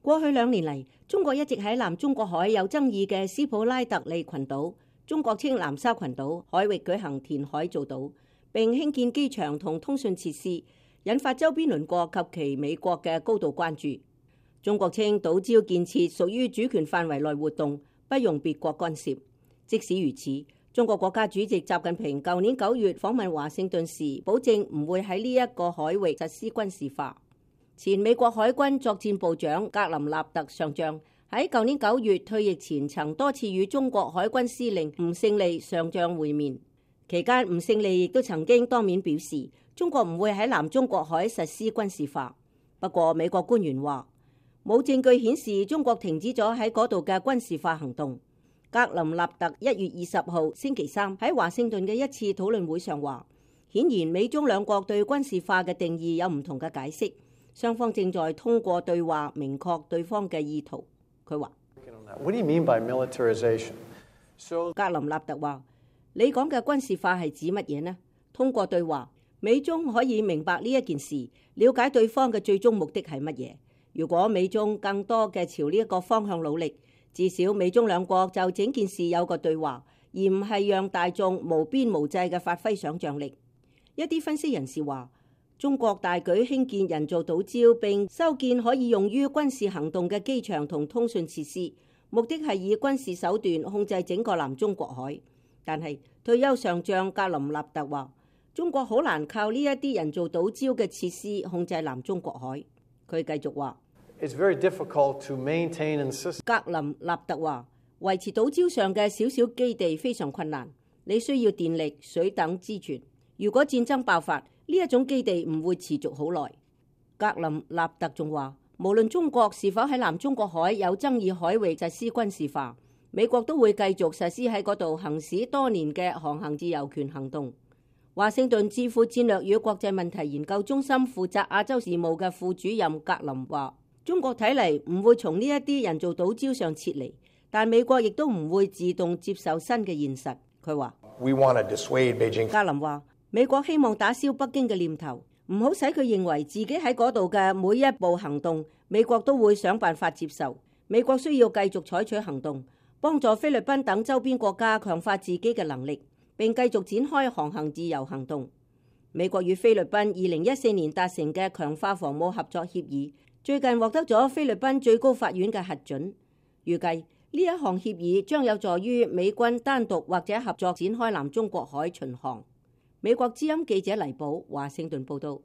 過去2年嚟，中國一直喺南中國海有爭議嘅斯普拉特利群島，中國稱南沙群島海域舉行填海造島，並興建機場同通訊設施，引發周邊鄰國及其美國嘅高度關注。中國稱島礁建設屬於主權範圍內活動，不容別國干涉。即使如此，中國國家主席習近平舊年9月訪問華盛頓時，保證唔會喺呢一個海域實施軍事化。前美國海軍作戰部長格林納特上將喺舊年9月退役前，曾多次與中國海軍司令吳勝利上將會面。期間，吳勝利亦都曾經當面表示，中國唔會喺南中國海實施軍事化。不過，美國官員話冇證據顯示中國停止咗喺嗰度嘅軍事化行動。格林納特1月20號星期三喺華盛頓嘅一次討論會上話，顯然美中兩國對軍事化嘅定義有唔同嘅解釋。雙方正在通過對話明確對方嘅意圖。佢話：What do you mean by militarization? 格林納特話：你講嘅軍事化係指乜嘢呢？通過對話，美中可以明白呢一件事，了解對方嘅最終目的係乜嘢。如果美中更多嘅朝呢一個方向努力，至少美中兩國就整件事有個對話，而唔係讓大眾無邊無際嘅發揮想像力。一啲分析人士話，中國大舉興建人造島礁並修建可以用於軍事行動嘅機場同通訊設施，目的係以軍事手段控制整個南中國海。但係退休上將格林納特話，中國好難靠呢一啲人造島礁嘅設施控制南中國海。佢繼續話，It's very difficult to maintain and sustain。格林納特話，維持島礁上嘅小小基地非常困難，你需要電力、水等資源。如果戰爭爆發，呢一種基地唔會持續好耐。格林納特仲話，無論中國是否喺南中國海有爭議海域實施軍事化，美國都會繼續實施喺嗰度行使多年嘅航行自由權行動。華盛頓智庫戰略與國際問題研究中心負責亞洲事務嘅副主任格林話，中國睇嚟唔會從呢一啲人造島礁上撤離，但美國亦都唔會自動接受新嘅現實。佢話，格林話，美國希望打消北京嘅念頭，唔好使佢認為自己喺嗰度嘅每一步行動，美國都會想辦法接受。美國需要繼續採取行動，幫助菲律賓等周邊國家強化自己嘅能力，並繼續展開航行自由行動。美國與菲律賓2014年達成嘅強化防務合作協議，最近獲得咗菲律賓最高法院嘅核准。預計呢一項協議將有助於美軍單獨或者合作展開南中國海巡航。美國之音記者黎寶華盛頓報道。